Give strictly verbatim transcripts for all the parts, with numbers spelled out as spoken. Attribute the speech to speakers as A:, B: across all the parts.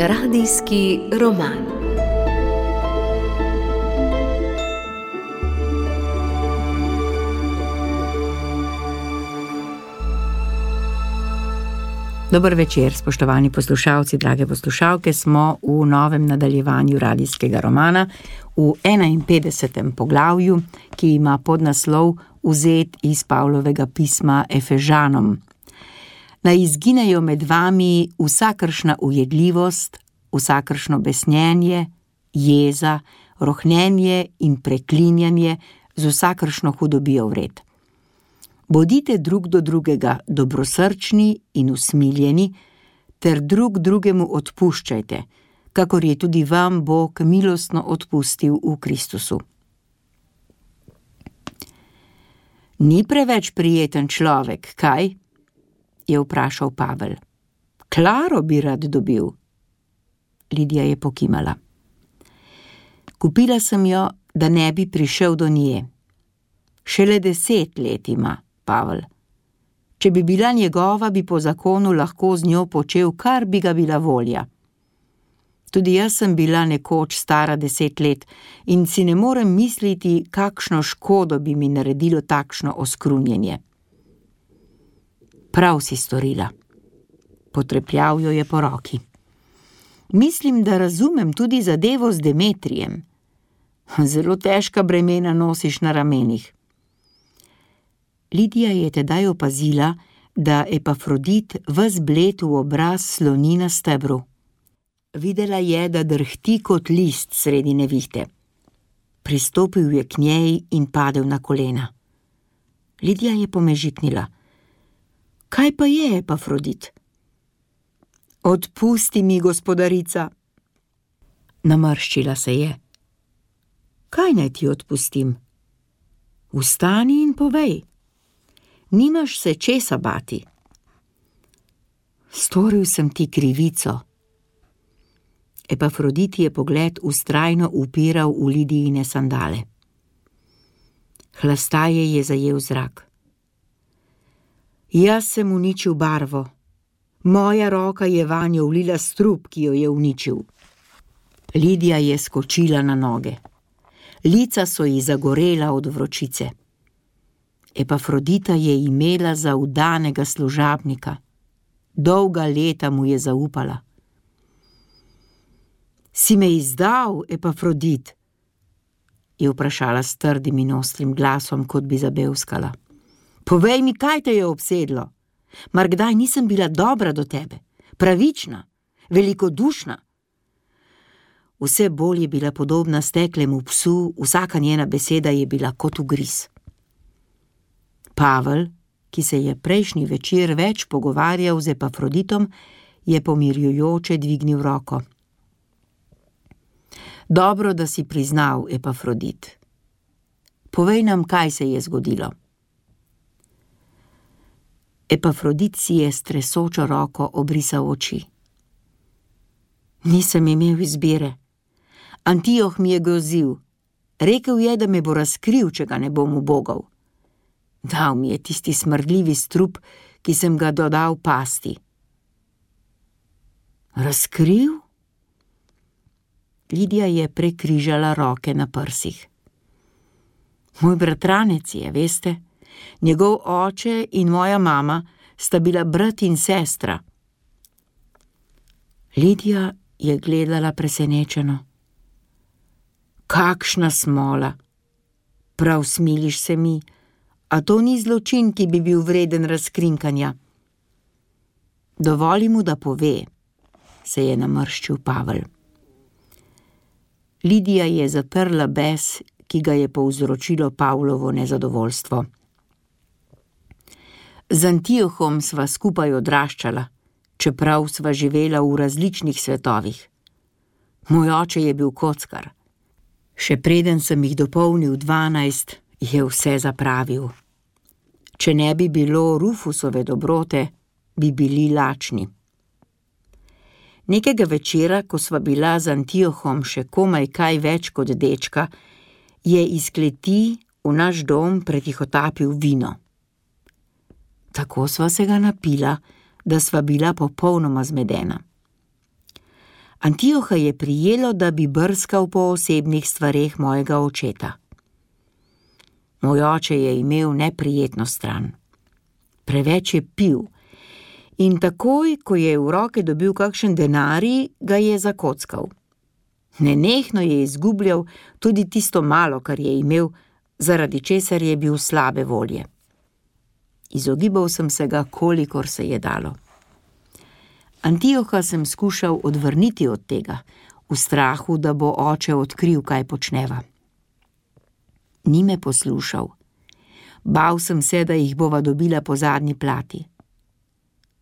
A: Radijski roman. Dober večer, spoštovani poslušalci, drage poslušalke, smo v novem nadaljevanju radijskega romana v enainpetdesetem poglavju, ki ima podnaslov Vzet iz Pavlovega pisma Efežanom. Naj izginejo med vami vsakršna ujedljivost, vsakršno besnjenje, jeza, rohnenje in preklinjanje z vsakršno hudobijo vred. Bodite drug do drugega dobrosrčni in usmiljeni, ter drug drugemu odpuščajte, kakor je tudi vam Bog milostno odpustil v Kristusu. Ni preveč prijeten človek, kaj? Je vprašal Pavel. Klaro bi rad dobil. Lidija je pokimala. Kupila sem jo, da ne bi prišel do nje. Šele deset let ima, Pavel. Če bi bila njegova, bi po zakonu lahko z njo počel, kar bi ga bila volja. Tudi jaz sem bila nekoč stara deset let in si ne morem misliti, kakšno škodo bi mi naredilo takšno oskrunjenje. Prav si storila. Potrepljal jo je po roki. Mislim, da razumem tudi zadevo z Demetrijem. Zelo težka bremena nosiš na ramenih. Lidija je tedaj opazila, da Epafrodit ves bled v obraz sloni na stebru. Videla je, da drhti kot list sredi nevihte. Pristopil je k njej in padel na kolena. Lidija je pomežiknila. Kaj pa je, Epafrodit? Odpusti mi, gospodarica. Namrščila se je. Kaj naj ti odpustim? Vstani in povej. Nimaš se česa bati. Storil sem ti krivico. Epafrodit je pogled vztrajno upiral v Lidijine sandale. Hlastaje je zajel zrak. Jaz sem uničil barvo. Moja roka je vanjo vlila strup, ki jo je uničil. Lidija je skočila na noge. Lica so ji zagorela od vročice. Epafrodita je imela za vdanega služabnika. Dolga leta mu je zaupala. Si me izdal, Epafrodit? Je vprašala s trdim in ostrim glasom, kot bi zabevskala. Povej mi, kaj te je obsedlo? Mar kdaj nisem bila dobra do tebe, pravična, velikodušna? Vse bolj je bila podobna steklemu psu, vsaka njena beseda je bila kot ugriz. Pavel, ki se je prejšnji večer več pogovarjal z Epafroditom, je pomirjujoče dvignil roko. Dobro, da si priznal, Epafrodit. Povej nam, kaj se je zgodilo. Epafrodit si je s tresočo roko obrisal oči. Nisem imel izbire. Antioh mi je grozil. Rekel je, da me bo razkril, če ga ne bom ubogal. Dal mi je tisti smrdljivi strup, ki sem ga dodal pasti. Razkril? Lidija je prekrižala roke na prsih. Moj bratranec je, veste? Njegov oče in moja mama sta bila brat in sestra. Lidija je gledala presenečeno. Kakšna smola! Prav smiliš se mi, a to ni zločin, ki bi bil vreden razkrinkanja. Dovoli mu, da pove, se je namrščil Pavel. Lidija je zatrla bes, ki ga je povzročilo Pavlovo nezadovoljstvo. Z Antiohom sva skupaj odraščala, čeprav sva živela v različnih svetovih. Moj oče je bil kockar. Še preden sem jih dopolnil dvanajst, je vse zapravil. Če ne bi bilo Rufusove dobrote, bi bili lačni. Nekega večera, ko sva bila z Antiohom še komaj kaj več kot dečka, je iz kleti v naš dom pretihotapil vino. Tako sva se ga napila, da sva bila popolnoma zmedena. Antioha je prijelo, da bi brskal po osebnih stvareh mojega očeta. Moj oče je imel neprijetno stran. Preveč je pil in takoj, ko je v roke dobil kakšen denarij, ga je zakockal. Nenehno je izgubljal tudi tisto malo, kar je imel, zaradi česar je bil slabe volje. Izogibal sem se ga, kolikor se je dalo. Antioha sem skušal odvrniti od tega, v strahu, da bo oče odkril, kaj počneva. Ni me poslušal. Bal sem se, da jih bova dobila po zadnji plati.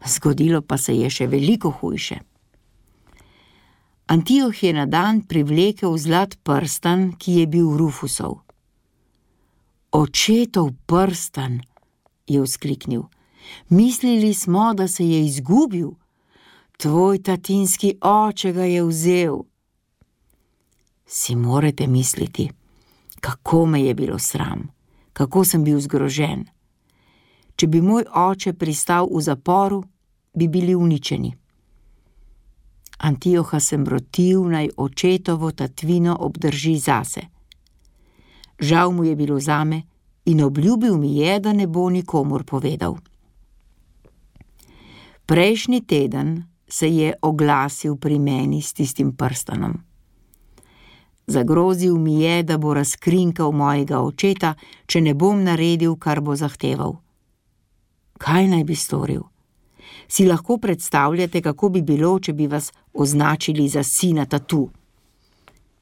A: Zgodilo pa se je še veliko hujše. Antioh je na dan privlekel zlat prstan, ki je bil Rufusov. Očetov prstan, je vzkliknil. Mislili smo, da se je izgubil. Tvoj tatinski oče ga je vzel. Si morate misliti, kako me je bilo sram, kako sem bil zgrožen. Če bi moj oče pristal v zaporu, bi bili uničeni. Antioha sem rotil, naj očetovo tatvino obdrži zase. Žal mu je bilo zame in obljubil mi je, da ne bo nikomur povedal. Prejšnji teden se je oglasil pri meni s tistim prstanom. Zagrozil mi je, da bo razkrinkal mojega očeta, če ne bom naredil, kar bo zahteval. Kaj naj bi storil? Si lahko predstavljate, kako bi bilo, če bi vas označili za sina tatu?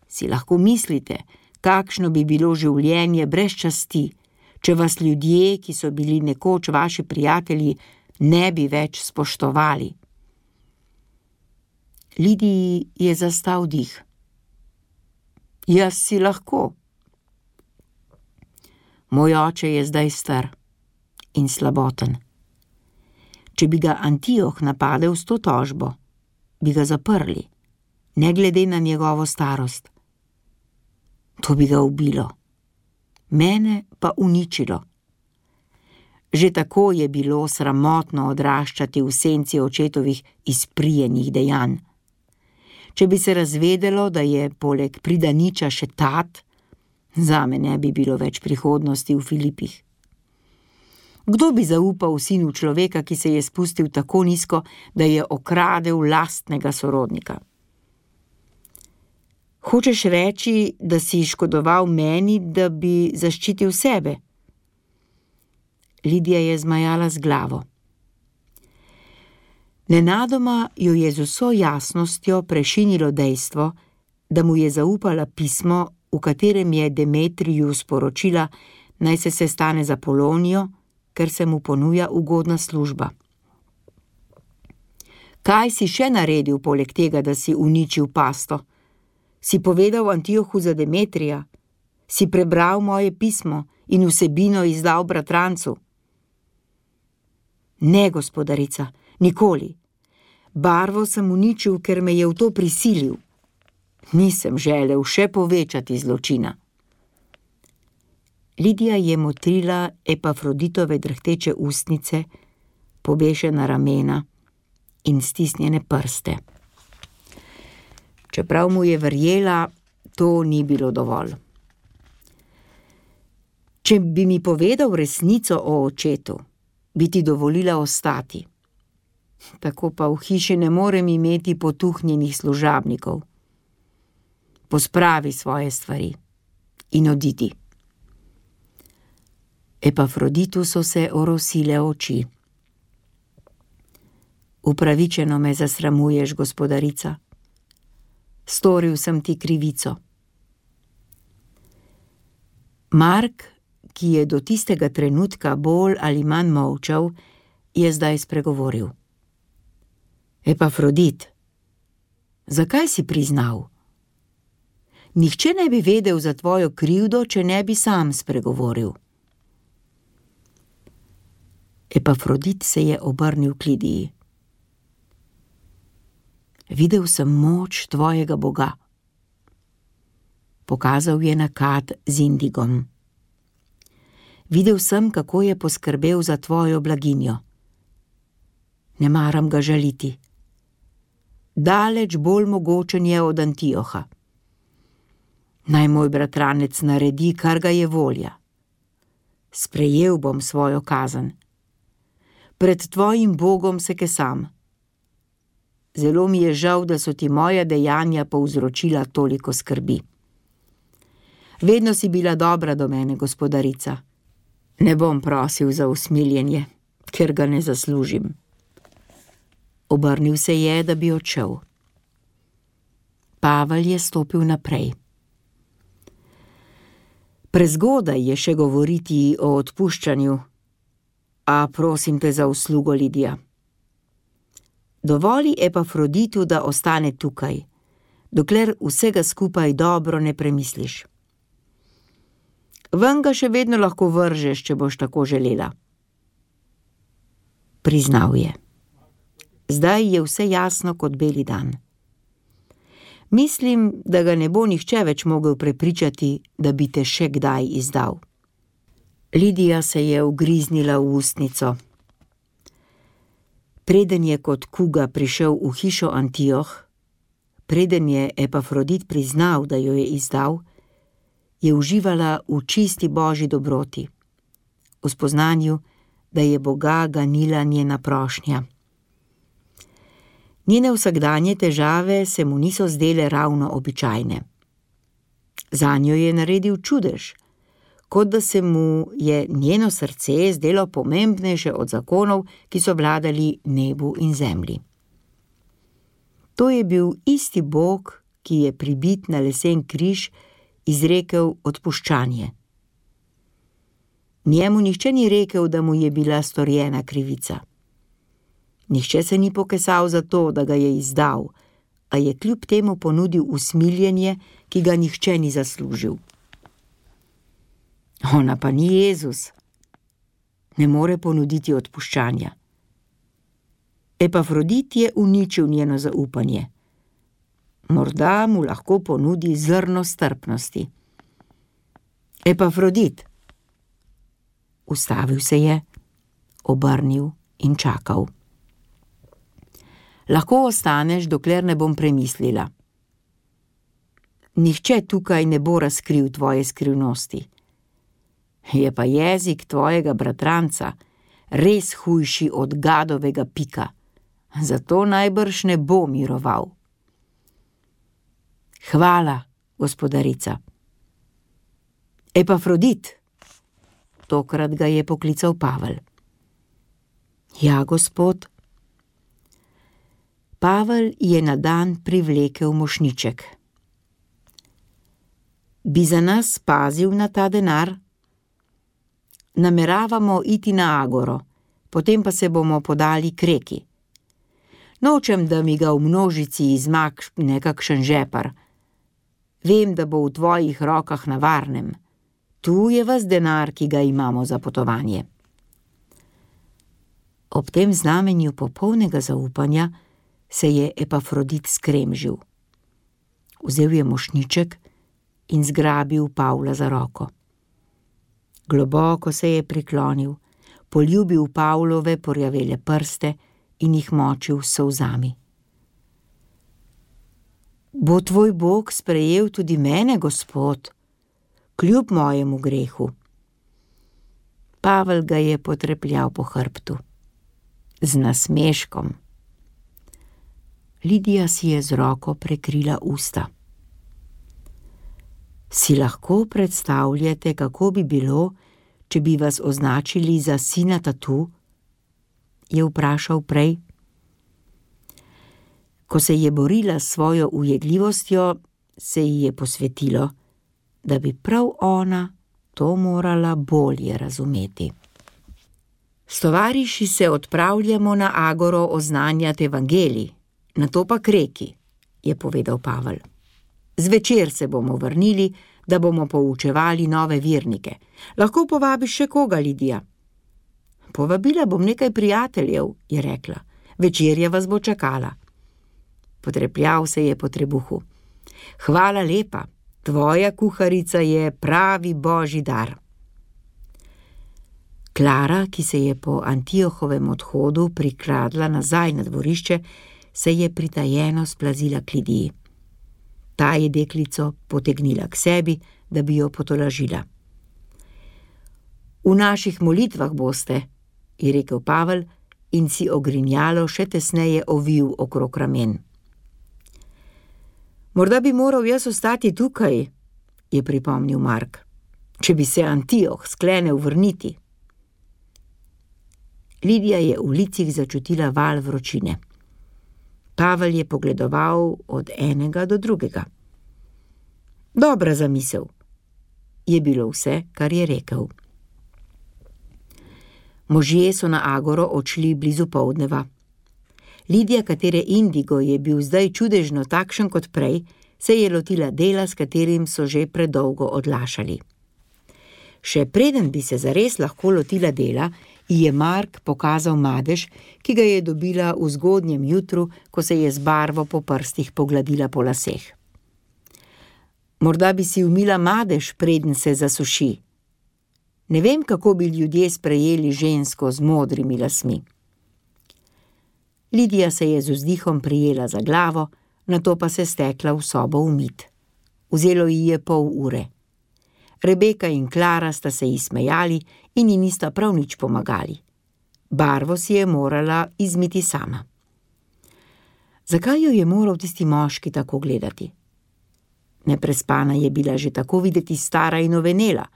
A: Si lahko mislite, kakšno bi bilo življenje brez časti, če vas ljudje, ki so bili nekoč vaši prijatelji, ne bi več spoštovali? Lidiji je zastal dih. Jaz si lahko. Moj oče je zdaj star in slaboten. Če bi ga Antioh napadel s to tožbo, bi ga zaprli, ne glede na njegovo starost. To bi ga ubilo, mene pa uničilo. Že tako je bilo sramotno odraščati v senci očetovih izprijenih dejanj. Če bi se razvedelo, da je poleg pridaniča še tat, zame ne bi bilo več prihodnosti v Filipih. Kdo bi zaupal sinu človeka, ki se je spustil tako nizko, da je okradel lastnega sorodnika? Hočeš reči, da si škodoval meni, da bi zaščitil sebe? Lidija je zmajala z glavo. Nenadoma jo je z vso jasnostjo prešinilo dejstvo, da mu je zaupala pismo, v katerem je Demetriju sporočila, naj se sestane za Polonijo, ker se mu ponuja ugodna služba. Kaj si še naredil poleg tega, da si uničil pasto? Si povedal Antiohu za Demetrija? Si prebral moje pismo in vsebino izdal bratrancu? Ne, gospodarica, nikoli. Barvo sem uničil, ker me je v to prisilil. Nisem želel še povečati zločina. Lidija je motrila Epafroditove drhteče ustnice, pobešena ramena in stisnjene prste. Čeprav mu je verjela, to ni bilo dovolj. Če bi mi povedal resnico o očetu, bi ti dovolila ostati. Tako pa v hiši ne morem imeti potuhnjenih služabnikov. Pospravi svoje stvari in odidi. Epafroditu so se orosile oči. Upravičeno me zasramuješ, gospodarica. Storil sem ti krivico. Mark, ki je do tistega trenutka bolj ali manj molčal, je zdaj spregovoril. Epafrodit, zakaj si priznal? Nihče ne bi vedel za tvojo krivdo, če ne bi sam spregovoril. Epafrodit se je obrnil k Lidiji. Videl sem moč tvojega Boga. Pokazal je na kad z indigom. Videl sem, kako je poskrbel za tvojo blaginjo. Ne maram ga žaliti. Daleč bolj mogočen je od Antioha. Naj moj bratranec naredi, kar ga je volja. Sprejel bom svojo kazen. Pred tvojim Bogom se kesam. Zelo mi je žal, da so ti moja dejanja povzročila toliko skrbi. Vedno si bila dobra do mene, gospodarica. Ne bom prosil za usmiljenje, ker ga ne zaslužim. Obrnil se je, da bi odšel. Pavel je stopil naprej. Prezgodaj je še govoriti o odpuščanju, a prosim te za uslugo, Lidija. Dovoli Epafroditu, da ostane tukaj, dokler vsega skupaj dobro ne premisliš. Ven ga še vedno lahko vržeš, če boš tako želela. Priznal je. Zdaj je vse jasno kot beli dan. Mislim, da ga ne bo nihče več mogel prepričati, da bi te še kdaj izdal. Lidija se je ugriznila v ustnico. Preden je kot kuga prišel v hišo Antioh, preden je Epafrodit priznal, da jo je izdal, je uživala v čisti božji dobroti, v spoznanju, da je Boga ganila njena prošnja. Njene vsakdanje težave se mu niso zdele ravno običajne. Zanjo je naredil čudež, kot da se mu je njeno srce zdelo pomembnejše od zakonov, ki so vladali nebu in zemlji. To je bil isti Bog, ki je pribit na lesen križ izrekel odpuščanje. Njemu nihče ni rekel, da mu je bila storjena krivica. Nihče se ni pokesal za to, da ga je izdal, a je kljub temu ponudil usmiljenje, ki ga nihče ni zaslužil. Ona pa ni Jezus. Ne more ponuditi odpuščanja. Epafrodit je uničil njeno zaupanje. Morda mu lahko ponudi zrno strpnosti. Epafrodit. Ustavil se je, obrnil in čakal. Lahko ostaneš, dokler ne bom premislila. Nihče tukaj ne bo razkril tvoje skrivnosti. Je pa jezik tvojega bratranca res hujši od gadovega pika, zato najbrž ne bo miroval. Hvala, gospodarica. Epafrodit. Tokrat ga je poklical Pavel. Ja, gospod. Pavel je na dan privlekel mošnjiček. Bi za nas pazil na ta denar? Nameravamo iti na Agoro, potem pa se bomo podali k reki. Nočem, da mi ga v množici izmakne kakšen žepar. Vem, da bo v tvojih rokah na varnem. Tu je ves denar, ki ga imamo za potovanje. Ob tem znamenju popolnega zaupanja se je Epafrodit skremžil. Vzel je mošnjiček in zgrabil Pavla za roko. Globoko se je priklonil, poljubil Pavlove porjavele prste in jih močil s solzami. Bo tvoj Bog sprejel tudi mene, gospod, kljub mojemu grehu? Pavel ga je potrepljal po hrbtu. Z nasmeškom. Lidija si je z roko prekrila usta. Si lahko predstavljate, kako bi bilo, če bi vas označili za sina tatu? Je vprašal prej. Ko se je borila s svojo ujedljivostjo, se ji je posvetilo, da bi prav ona to morala bolje razumeti. S tovariši se odpravljamo na Agoro oznanjati evangelij, nato pa k reki, je povedal Pavel. Zvečer se bomo vrnili, da bomo poučevali nove vernike. Lahko povabiš še koga, Lidija? Povabila bom nekaj prijateljev, je rekla. Večerja vas bo čakala. Potrepljal se je po trebuhu. Hvala lepa, tvoja kuharica je pravi božji dar. Klara, ki se je po Antiohovem odhodu prikradla nazaj na dvorišče, se je pritajeno splazila k Lidiji. Ta je deklico potegnila k sebi, da bi jo potolažila. V naših molitvah boste, je rekel Pavel in si ogrinjalo še tesneje ovil okrog ramen. Morda bi moral jaz ostati tukaj, je pripomnil Mark, če bi se Antioh sklenil vrniti. Lidija je v licih začutila val vročine. Pavel je pogledoval od enega do drugega. Dobra zamisel, je bilo vse, kar je rekel. Možje so na agoro odšli blizu poldneva. Lidija, katere indigo je bil zdaj čudežno takšen kot prej, se je lotila dela, s katerim so že predolgo odlašali. Še preden bi se zares lahko lotila dela, ji je Mark pokazal madež, ki ga je dobila v zgodnjem jutru, ko se je z barvo po prstih pogladila po laseh. Morda bi si umila madež, preden se zasuši. Ne vem, kako bi ljudje sprejeli žensko z modrimi lasmi. Lidija se je z vzdihom prijela za glavo, nato pa se stekla v sobo umit. Vzelo ji je pol ure. Rebeka in Klara sta se ji smejali in ji nista prav nič pomagali. Barvo si je morala izmiti sama. Zakaj jo je moral tisti moški tako gledati? Neprespana je bila že tako videti stara in ovenela,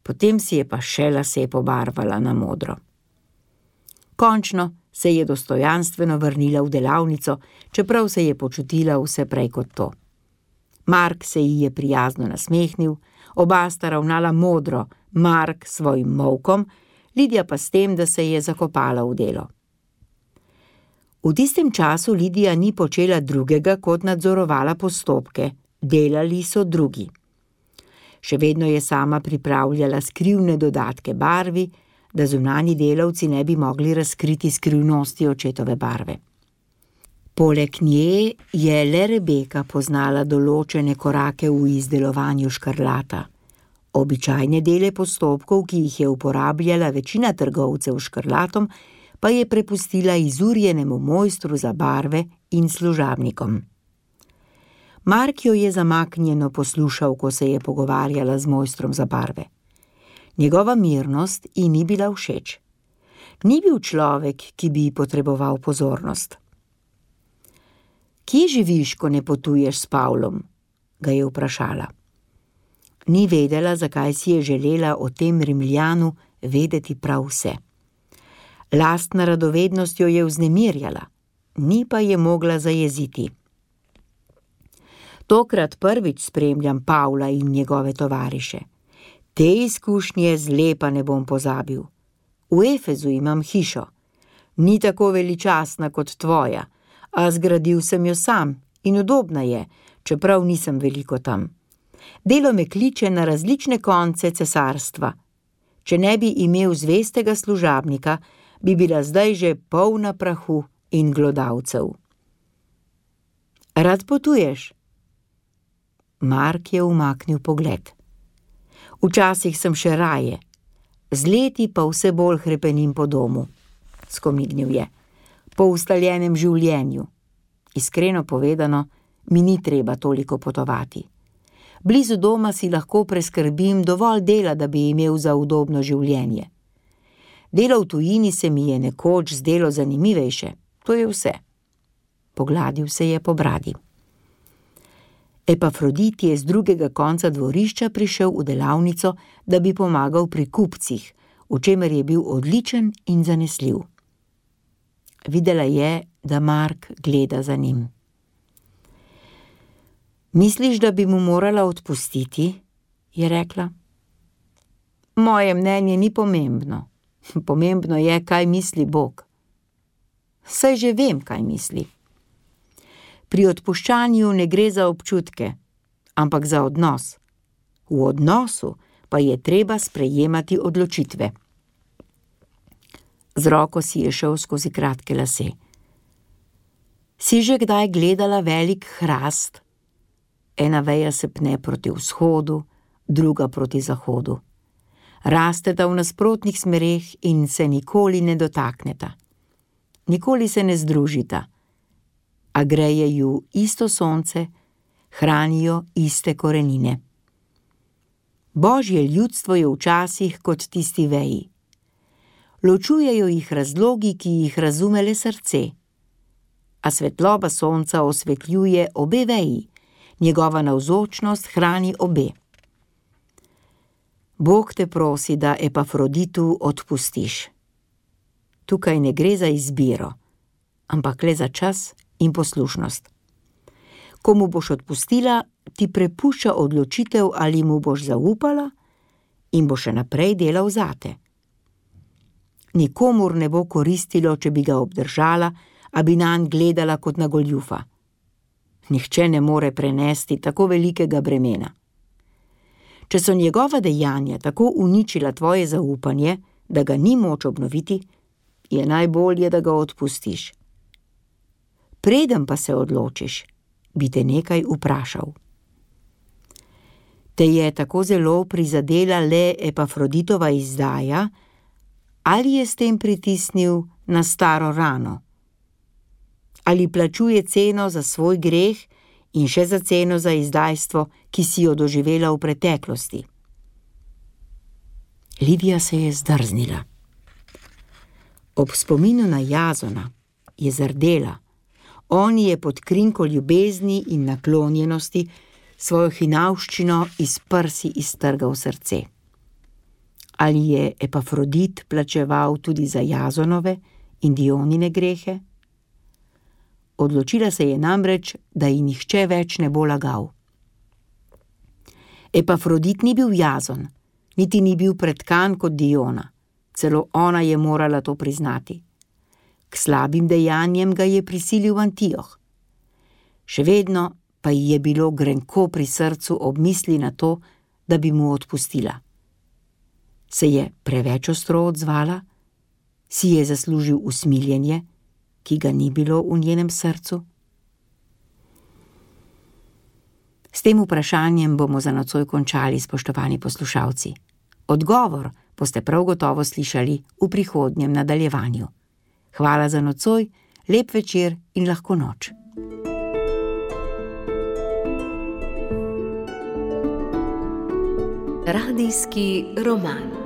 A: potem si je pa še lase pobarvala na modro. Končno se je dostojanstveno vrnila v delavnico, čeprav se je počutila vse prej kot to. Mark se ji je prijazno nasmehnil, oba sta ravnala modro, Mark s svojim molkom, Lidija pa s tem, da se je zakopala v delo. V tistem času Lidija ni počela drugega, kot nadzorovala postopke, delali so drugi. Še vedno je sama pripravljala skrivne dodatke barvi, da zunanji delavci ne bi mogli razkriti skrivnosti očetove barve. Poleg nje je le Rebeka poznala določene korake v izdelovanju škrlata. Običajne dele postopkov, ki jih je uporabljala večina trgovcev škrlatom, pa je prepustila izurjenemu mojstru za barve in služabnikom. Mark jo je zamaknjeno poslušal, ko se je pogovarjala z mojstrom za barve. Njegova mirnost ji ni bila všeč. Ni bil človek, ki bi potreboval pozornost. Kje živiš, ko ne potuješ s Pavlom? Ga je vprašala. Ni vedela, zakaj si je želela o tem Rimljanu vedeti prav vse. Lastna radovednost jo je vznemirjala, ni pa je mogla zajeziti. Tokrat prvič spremljam Pavla in njegove tovariše. Te izkušnje zlepa ne bom pozabil. V Efezu imam hišo. Ni tako veličastna kot tvoja, a zgradil sem jo sam in udobna je, čeprav nisem veliko tam. Delo me kliče na različne konce cesarstva. Če ne bi imel zvestega služabnika, bi bila zdaj že polna prahu in glodavcev. Rad potuješ? Mark je umaknil pogled. Včasih sem še raje, z leti pa vse bolj hrepenim po domu, skomignil je, po ustaljenem življenju. Iskreno povedano, mi ni treba toliko potovati. Blizu doma si lahko preskrbim dovolj dela, da bi imel za udobno življenje. Delo v tujini se mi je nekoč zdelo zanimivejše, to je vse. Pogladil se je po bradi. Epafrodit je z drugega konca dvorišča prišel v delavnico, da bi pomagal pri kupcih, v čemer je bil odličen in zanesljiv. Videla je, da Mark gleda za njim. Misliš, da bi mu morala odpustiti? Je rekla. Moje mnenje ni pomembno. Pomembno je, kaj misli Bog. Saj že vem, kaj misli. Pri odpuščanju ne gre za občutke, ampak za odnos. V odnosu pa je treba sprejemati odločitve. Z roko si je šel skozi kratke lase. Si že kdaj gledala velik hrast? Ena veja se pne proti vzhodu, druga proti zahodu. Rasteta v nasprotnih smereh in se nikoli ne dotakneta. Nikoli se ne združita. a greje ju isto sonce, hranijo iste korenine. Božje ljudstvo je včasih kot tisti veji. Ločujejo jih razlogi, ki jih razume le srce, a svetloba sonca osvetljuje obe veji, njegova navzočnost hrani obe. Bog te prosi, da Epafroditu odpustiš. Tukaj ne gre za izbiro, ampak le za čas in poslušnost. Ko mu boš odpustila, ti prepušča odločitev, ali mu boš zaupala in bo še naprej delal zate. Nikomur ne bo koristilo, če bi ga obdržala, a bi nanj gledala kot na goljufa. Nihče ne more prenesti tako velikega bremena. Če so njegova dejanja tako uničila tvoje zaupanje, da ga ni moč obnoviti, je najbolje, da ga odpustiš. Preden pa se odločiš, bi te nekaj vprašal. Te je tako zelo prizadela le Epafroditova izdaja, ali je s tem pritisnil na staro rano? Ali plačuje ceno za svoj greh in še za ceno za izdajstvo, ki si jo doživela v preteklosti? Livija se je zdrznila. Ob spominu na Jazona je zardela. On je pod krinko ljubezni in naklonjenosti svojo hinavščino iz prsi iztrgal srce. Ali je Epafrodit plačeval tudi za Jazonove in Dionine grehe? Odločila se je namreč, da ji nihče več ne bo lagal. Epafrodit ni bil Jazon, niti ni bil pretkan kot Diona, celo ona je morala to priznati. K slabim dejanjem ga je prisilil Antioh. Še vedno pa ji je bilo grenko pri srcu ob misli na to, da bi mu odpustila. Se je preveč ostro odzvala? Si je zaslužil usmiljenje, ki ga ni bilo v njenem srcu? S tem vprašanjem bomo za nocoj končali, spoštovani poslušalci. Odgovor boste prav gotovo slišali v prihodnjem nadaljevanju. Hvala za nocoj, lep večer in lahko noč.
B: Radijski roman.